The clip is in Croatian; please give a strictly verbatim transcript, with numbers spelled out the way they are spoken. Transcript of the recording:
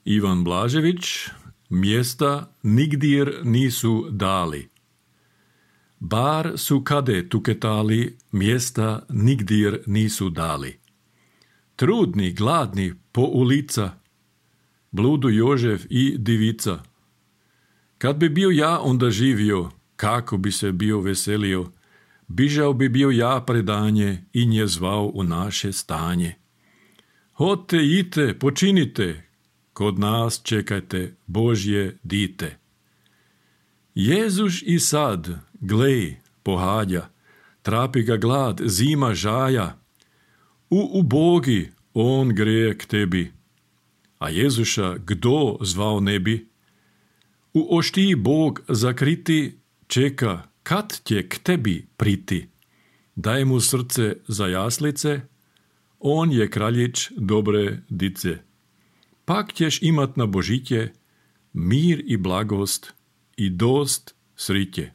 Ivan Blažević, mjesta nigdjer nisu dali. Bar su kade tuketali, mjesta nigdjer nisu dali. Trudni, gladni, po ulica, bludu Jožef i divica. Kad bi bio ja onda živio, kako bi se bio veselio, bižao bi bio ja predanje i nje zvao u naše stanje. Hote, ite, počinite, kod nas čekajte Božje dite. Jezuš i sad, glej, pohađa, trapi ga glad, zima žaja. U ubogi on greje k tebi, a Jezuša kdo zvao ne bi? U oštiji Bog zakriti čeka, kad će k tebi priti. Daj mu srce za jaslice, on je kraljić dobre dice. Pak ćeš imat na Božitje mir i blagost i dost sritje.